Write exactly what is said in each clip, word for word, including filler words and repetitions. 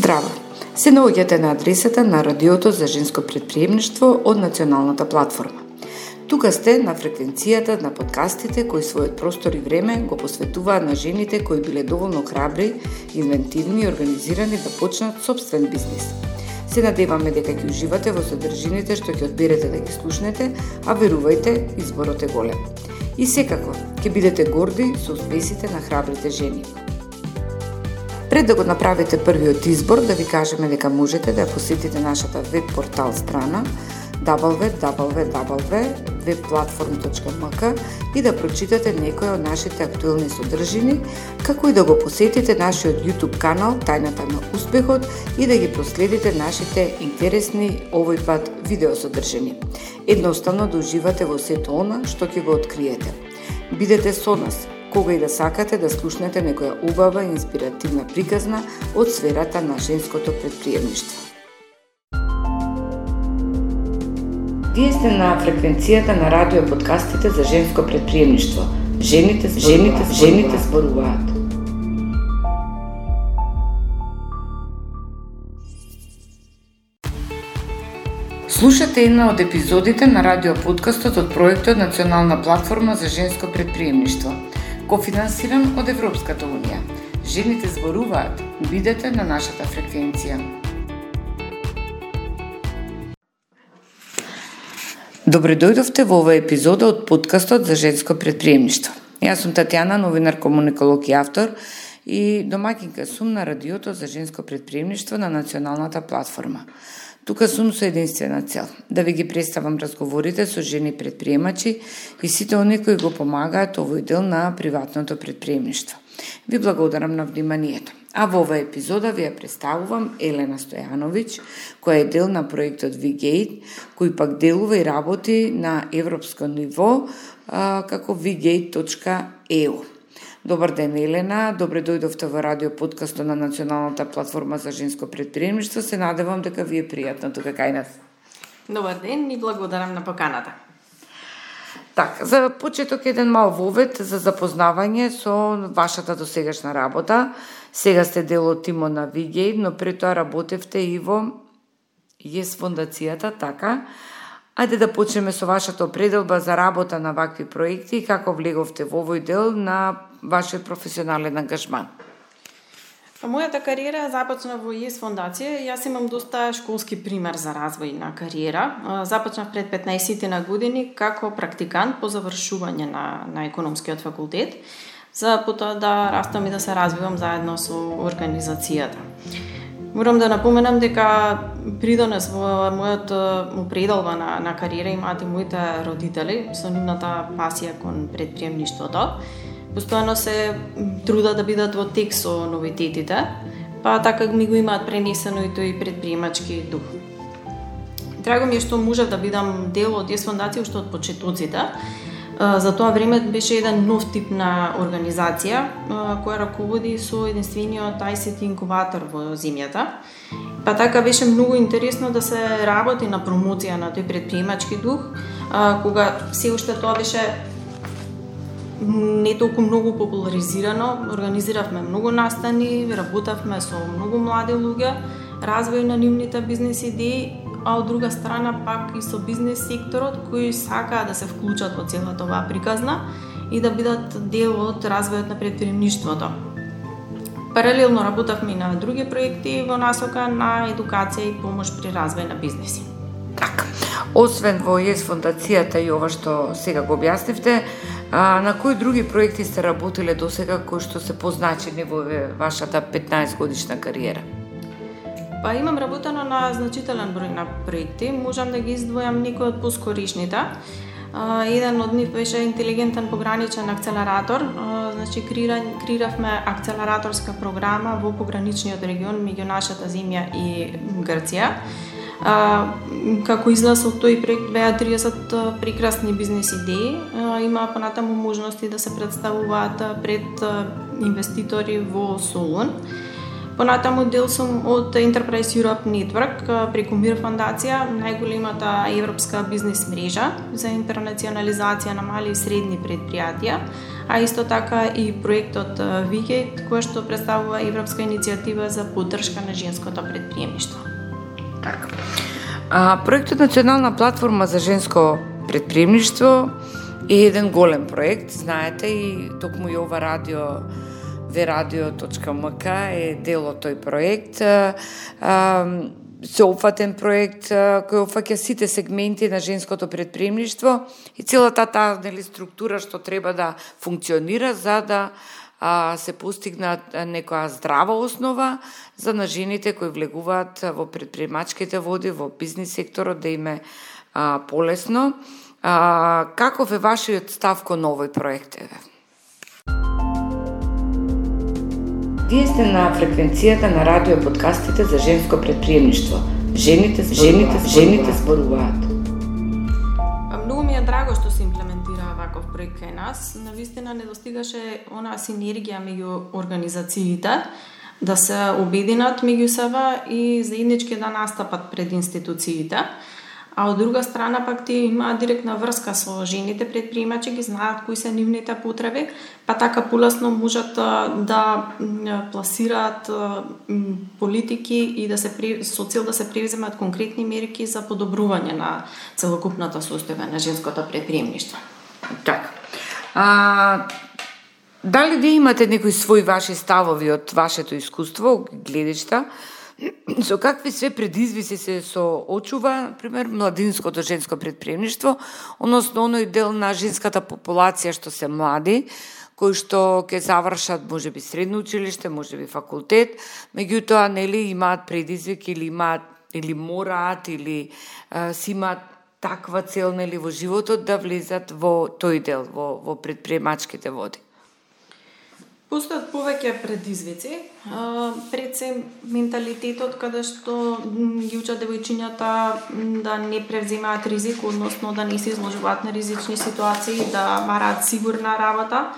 Здраво! Се наоѓате на адресата на Радиото за женско претприемништво од Националната платформа. Тука сте на фреквенцијата на подкастите кои својот простор и време го посветуваат на жените кои биле доволно храбри, инвентивни и организирани да почнат собствен бизнис. Се надеваме дека ќе уживате во содржините што ќе одберете да ги слушнете, а верувајте, изборот е голем. И секако, ќе бидете горди со успесите на храбрите жени. Пред да го направите првиот избор, да ви кажеме дека можете да посетите нашата веб портал страна дабл ю дабл ю дабл ю точка веб платформ точка ем ка и да прочитате некои од нашите актуелни содржини, како и да го посетите нашиот YouTube канал Тајната на успехот и да ги проследите нашите интересни овој пат видеосодржини. Едноставно да уживате во сето она што ќе го откриете. Бидете со нас кога и да сакате да слушнете некоја убава и инспиративна приказна од сферата на женското претприемништво. Вие сте на фреквенцијата на радио подкастите за женско претприемништво. Жените, жените, жените зборуваат. Слушате една од епизодите на радио подкастот од проектот Национална платформа за женско претприемништво, кофинансиран од Европската унија. Жените зборуваат. Бидете на нашата фреквенција. Добре дојдовте во оваа епизода од подкастот за женско претприемништво. Јас сум Татјана, новинар, комуниколог и автор и домаќинка сум на Радиото за женско претприемништво на Националната платформа. Тука сум со единствена цел, да ви ги представам разговорите со жени претприемачи и сите оние кои го помагаат овој дел на приватното претприемништво. Ви благодарам на вниманието. А во оваа епизода ви ја представувам Елена Стојановиќ, која е дел на проектот V-Gate, кој пак делува и работи на европско ниво а, како ви гейт точка и ю. Добар ден, Елена. Добре дојдовте во радио подкастот на Националната платформа за женско претприемништво. Се надевам дека ви е пријатно тука кај нас. Добар ден и благодарам на поканата. Така, за почеток еден мал вовед за запознавање со вашата досегашна работа. Сега сте дел од тимот на V-Gate, но пред тоа работевте и во Yes фондацијата, така? Ајде да почнеме со вашата определба за работа на вакви проекти и како влеговте во овој дел на вашиот професионален ангажман. Мојата кариера започна во Yes фондација. Јас имам доста школски пример за развој на кариера. Започнав пред петнаесет на години како практикант по завршување на, на економскиот факултет, за потоа да растам и да се развивам заедно со организацијата. Морам да напоменам дека придонес во мојот определба на, на кариера имаат и моите родители со нивната пасија кон претприемништвото. Постојано се трудат да бидат во тек со новитетите, па така ми го имаат пренесено и тој предприемачки дух. Драго ми е што можев да бидам дел од Yes фондација уште од почетоците. За тоа време беше еден нов тип на организација која раководи со единствениот ай си ти инкубатор во земјата. Па така беше многу интересно да се работи на промоција на тој предприемачки дух, кога се уште тоа беше не толку многу популаризирано. Организиравме многу настани, работевме со многу млади луѓе, развој на нивните бизнес идеи, а од друга страна пак и со бизнес секторот кои сакаат да се вклучат во целата оваа приказна и да бидат дел од развојот на претприемништвото. Паралелно работевме и на други проекти во насока на едукација и помош при развој на бизнеси. Така, освен во Yes фондацијата и ова што сега го објаснивте, а, на кои други проекти сте работиле досега кои што се позначени во вашата петнаесет годишна кариера? Па имам работено на значителен број на проекти, можам да ги издвојам некои од поскоришните. Еден од нив беше интелигентен пограничен акцелератор. Значи креиравме акцелераторска програма во пограничниот регион меѓу нашата земја и Грција. Како излез од тој проект беа триесет прекрасни бизнес идеи. Има понатаму можности да се представуваат пред инвеститори во Солун. Понатаму дел сум од Enterprise Europe Network преку Мир фондација, најголемата европска бизнес мрежа за интернационализација на мали и средни предпријатија, а исто така и проектот Vigate, кој што представува европска иницијатива за поддршка на женското претприемништво. Така. А, проектот Национална платформа за женско претприемништво е еден голем проект, знаете, и токму и ова радио верадио точка ем ка е дел од тој проект. Сеопфатен проект кој опфаќа сите сегменти на женското претприемништво и целата таа нели структура што треба да функционира за да а, се постигнат некоја здрава основа за на жените кои влегуваат во претприемачките води, во бизнис секторот, да им е а, полесно. А, каков е вашиот став кон овој проект? Вие сте на фреквенцијата на радио подкастите за женско претприемништво. Жените, жените, жените зборуваат. Многу ми е драго што се имплементира ваков проект кај нас. Навистина не достигаше она синергија меѓу организациите да се обединат меѓу себе и заеднички да настапат пред институциите. А од друга страна пак тие имаат директна врска со жените предприемачи, ги знаат кои се нивните потреби, па така полесно можат да пласираат политики и да се со цел да се превземат конкретни мерки за подобрување на целокупната состојба на женското предприемништво. Така. А, дали ви имате некои свои ваши ставови од вашето искуство, гледишта? Со какви све предизвици се соочува, пример, младинското женско претприемништво, односно оној дел на женската популација што се млади, кои што ќе завршат можеби средно училиште, можеби факултет, меѓутоа нели имаат предизвики или имаат или мораат или а, си имаат таква цел нели во животот да влезат во тој дел, во во претприемачките води. Постојат повеќе предизвици, пред се менталитетот каде што ги учат девојчињата да не превземаат ризик, односно да не се изложуваат на ризични ситуации, да бараат сигурна работа.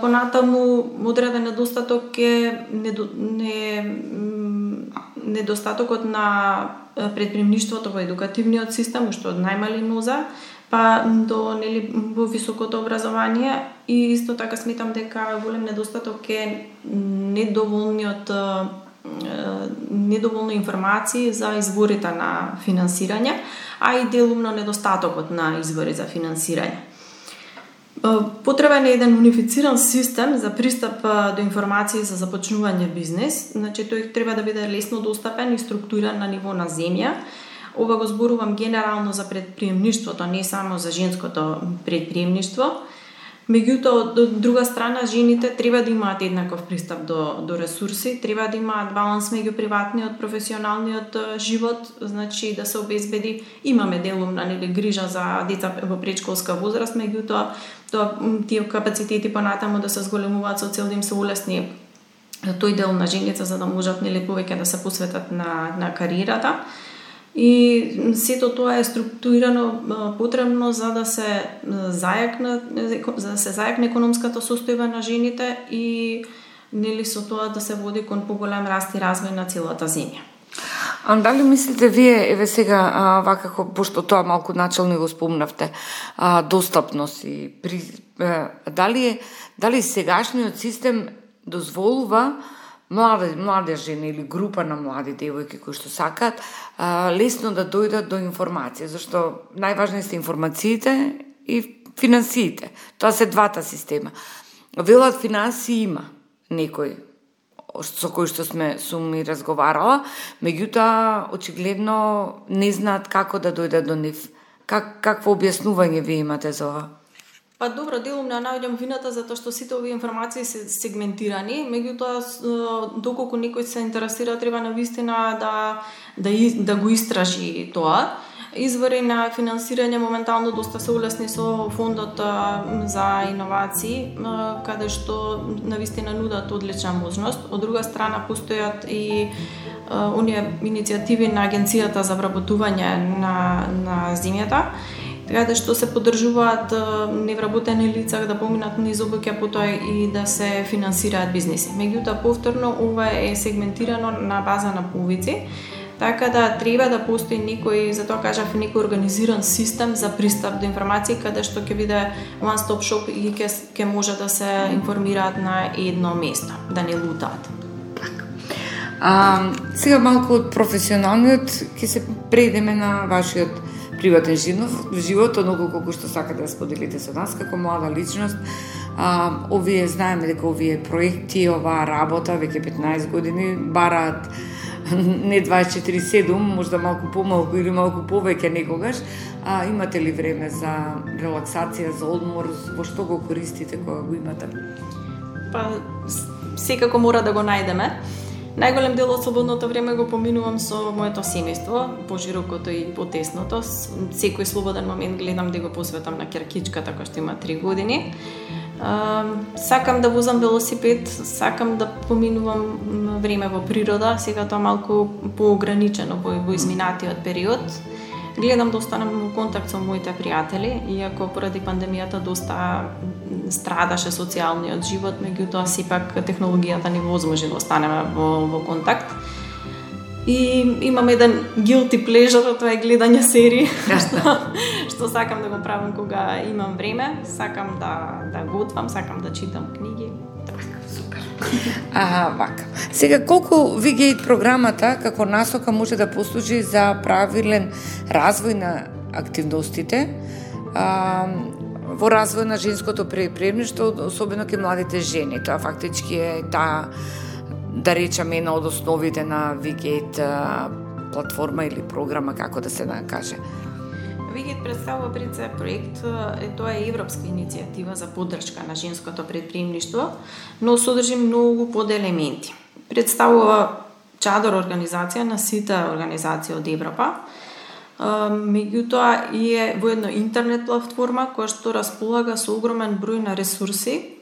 Понатаму одреден недостаток е не, недостатокот на предприемништвото во едукативниот систем, што од најмали ноза, па до нели во високото образование, и исто така сметам дека голем недостаток е недоволниот недоволно информации за изворите на финансирање, а и делумно недостатокот на извори за финансирање. Потребен е еден унифициран систем за пристап до информации за започнување бизнес, значи тој треба да биде лесно достапен и структуриран на ниво на земја. Ова го зборувам генерално за предприемништвото, не само за женското предприемништво. Меѓутоа, од друга страна, жените треба да имаат еднаков пристап до, до ресурси, треба да имаат баланс меѓу приватниот, професионалниот живот, значи да се обезбеди, имаме делумна нели грижа за деца во предшколска возраст, меѓутоа тоа тие капацитети понатаму да се зголемуваат со цел да им се улесни тој дел на жените за да можат нели повеќе да се посветат на на кариерата. И сето тоа е структурирано потребно за да се зајакне за да се зајакне економската состојба на жените и нели со тоа да се води кон поголем раст и развој на целата земја. А дали мислите вие, еве сега, а, вакако, пошто тоа малку начално го спомнавте, а, достапност и при, а, дали е дали сегашниот систем дозволува млади, млади жени или група на млади девојки кои што сакаат а, лесно да дојдат до информација, зашто најважни се информациите и финансиите. Тоа се двата система. Велат финансии има некој со кој што сме сум и разговарала, меѓутоа очигледно не знаат како да дојдат до нив. Как какво објаснување ви имате за ова? Па добро, делум не наоѓам вината затоа што сите овие информации се сегментирани, меѓутоа доколку некој се интересира треба навистина да да да го истражи тоа. Извори на финансирање моментално доста се улесни со фондот за иновации, каде што навистина нудат одлична можност. Од друга страна постојат и оние иницијативи на Агенцијата за вработување на на земјата, каде што се поддржуваат невработени лица да поминат низ обуќа, потоа и да се финансираат бизнеси. Меѓутоа повторно ова е сегментирано на база на повици. Така да треба да постои некој, затоа кажав, некој организиран систем за пристап до информации, каде што ќе биде one stop shop и ќе ќе може да се информираат на едно место, да не лутаат. А, сега малку од професионалниот ќе се преидеме на вашиот приватен живот, оноко колку што сакате да споделите со нас како млада личност. А, овие знаеме дека овие проекти, оваа работа веќе петнаесет години бараат не дваесет и четири седум, можда малку помалку или малку повеќе некогаш. А, имате ли време за релаксација, за одмор, во што го користите кога го имате? Па секако мора да го најдеме. Најголем дел од слободното време го поминувам со моето семејство, поширокото и потесното. Секој слободен момент гледам да го посветам на ќеркичката која што има три години. Uh, сакам да возам велосипед, сакам да поминувам време во природа, сега тоа малку поограничено во, во изминатиот период. Гледам да останам во контакт со моите пријатели, иако поради пандемијата доста страдаше социјалниот живот, меѓутоа сепак технологијата ни возможи да останеме во, во контакт. И имам еден guilty pleasure, тоа е гледање серии, што, што сакам да го правам кога имам време, сакам да, да готвам, сакам да читам книги. Супер. А, вака. Сега, колку Vigate програмата како насока може да послужи за правилен развој на активностите, а, во развој на женското предприемништво, особено кај младите жени. Тоа фактички е таа, да речеме, една од основите на Vigate платформа или програма, како да се накаже. Vigate представува пред се проект, е тоа е европска иницијатива за поддршка на женското предприемништво, но содржи многу поделементи. Представува чадор организација на сите организации од Европа, меѓутоа и е во една интернет платформа која што располага со огромен број на ресурси,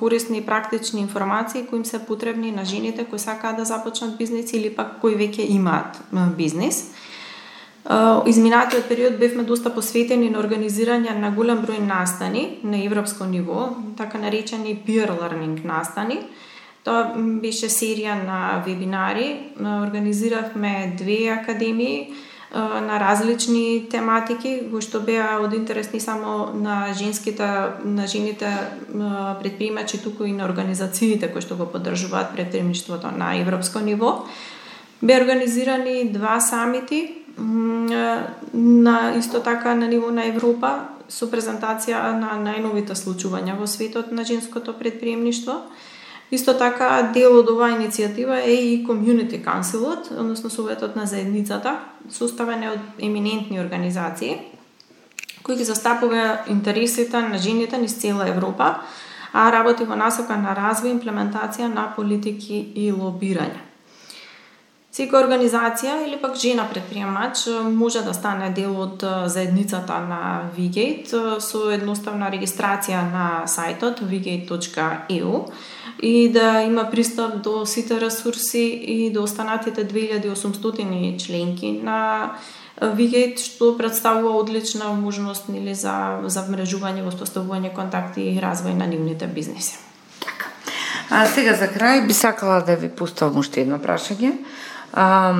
корисни и практични информации кои им се потребни на жените кои сакаат да започнат бизнес или пак кои веќе имаат бизнес. Изминатиот период бевме доста посветени на организирање на голем број настани на европско ниво, така наречени peer learning настани. Тоа беше серија на вебинари, организиравме две академии на различни тематики, кои што беа од интерес не само на женските, на жените предприемачи, туку и на организациите кои што го поддржуваат предприемништвото на европско ниво. Беа организирани два самити на исто така на ниво на Европа со презентација на најновите случувања во светот на женското предприемништво. Исто така, дел од оваа иницијатива е и Community Council-от, односно Советот на заедницата, составен од еминентни организации, кои ги застапува интересите на жените низ цела Европа, а работи во насока на развој, имплементација на политики и лобирање. Секоја организација или пак жена предприемач може да стане дел од заедницата на Vigate со едноставна регистрација на сајтот vigate точка e u и да има пристап до сите ресурси и до останатите две илјади и осумстотини членки на Vigate, што представува одлична можност нели за за вмрежување, воспоставување контакти и развој на нивните бизнеси. Така. А сега за крај би сакала да ви поставам уште едно прашање. А,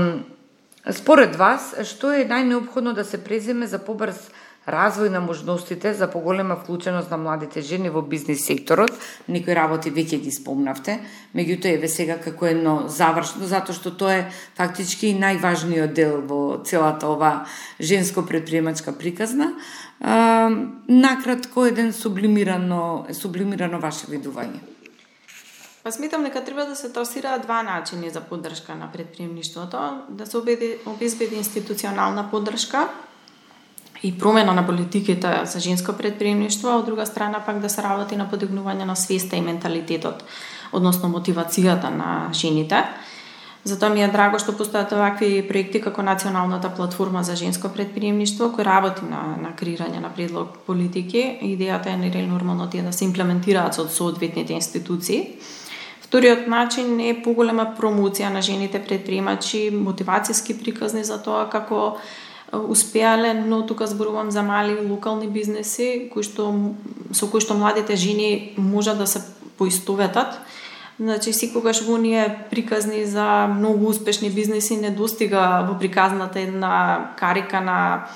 според вас, што е најнеопходно да се преземе за побрз развој на можностите за поголема вклученост на младите жени во бизнес секторот? Некои работи веќе ги спомнавте, меѓутоа еве сега како едно завршно, затоа што тоа е фактички и најважниот дел во целата ова женско предприемачка приказна. А, накратко еден сублимирано, сублимирано ваше видување. Па сметам дека треба да се трасираат два начини за поддршка на предприемништвото, да се обезбеди институционална поддршка и промена на политиките за женско предприемништво, а од друга страна пак да се работи на подигнување на свеста и менталитетот, односно мотивацијата на жените. Затоа ми е драго што постојат овакви проекти како Националната платформа за женско предприемништво, кој работи на, на креирање на предлог политики. Идејата е нели нормално тие да се имплементираат со соодветните институции. Вториот начин е поголема промоција на жените предприемачи, мотивацијски приказни за тоа како успеале, но тука зборувам за мали локални бизнеси кои што со кои што младите жени можат да се поистоветат, Значи, секогаш во оние приказни за многу успешни бизнеси не достига во приказната една карика на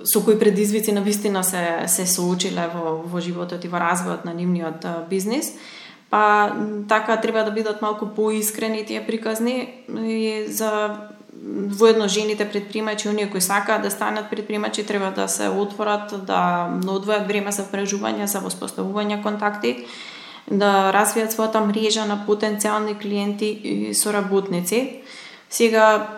со кои предизвици на вистина се се соочиле во во животот и во развојот на нивниот бизнис. Па така треба да бидат малку поискрени тие приказни и за воедно жените предприемачи, оние кои сакаат да станат предприемачи, треба да се отворат, да одвојат време за впрежување, за воспоставување контакти, да развијат својата мрежа на потенцијални клиенти и соработници. Сега,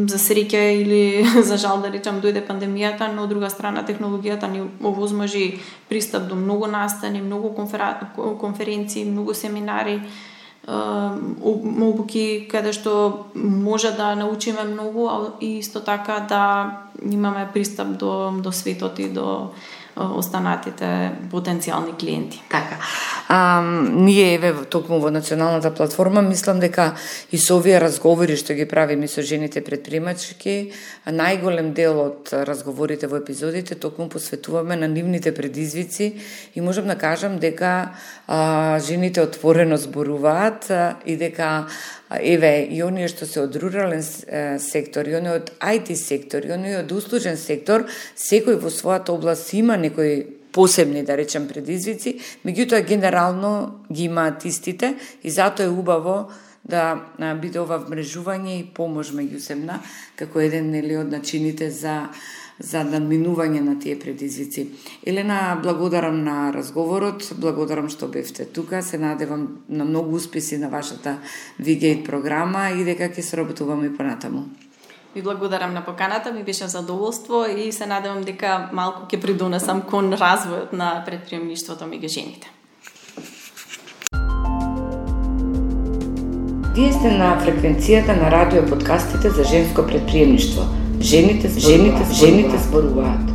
за среќа или за жал да речам, дојде пандемијата, но од друга страна технологијата ни овозможи пристап до многу настани, многу конференции, многу семинари, обуки каде што може да научиме многу, а исто така да имаме пристап до до светот и до останатите потенцијални клиенти. Така. А, ние еве токму во националната платформа мислам дека и со овие разговори што ги правиме со жените предприемачки, најголем дел од разговорите во епизодите токму посветуваме на нивните предизвици и можам да кажам дека а, жените отворено зборуваат а, и дека еве и оние што се од рурален сектор, и оние од ај ти сектор, и оние од услужен сектор, секој во својата област има некои посебни, да речем, предизвици, меѓутоа генерално ги имаат истите и затоа е убаво да биде ова вмрежување и помош меѓусебна како еден нели од начините за за надминување на тие предизвици. Елена, благодарам на разговорот, благодарам што бевте тука, се надевам на многу успеси на вашата Вигейт програма и дека ќе соработуваме и понатаму. Ви благодарам на поканата, ми беше задоволство и се надевам дека малку ќе придонесам кон развојот на предприемништвото меѓу жените. Вие сте на фреквенцијата на радио подкастите за женско предприемништво. Жените, жените, жените зборуваат.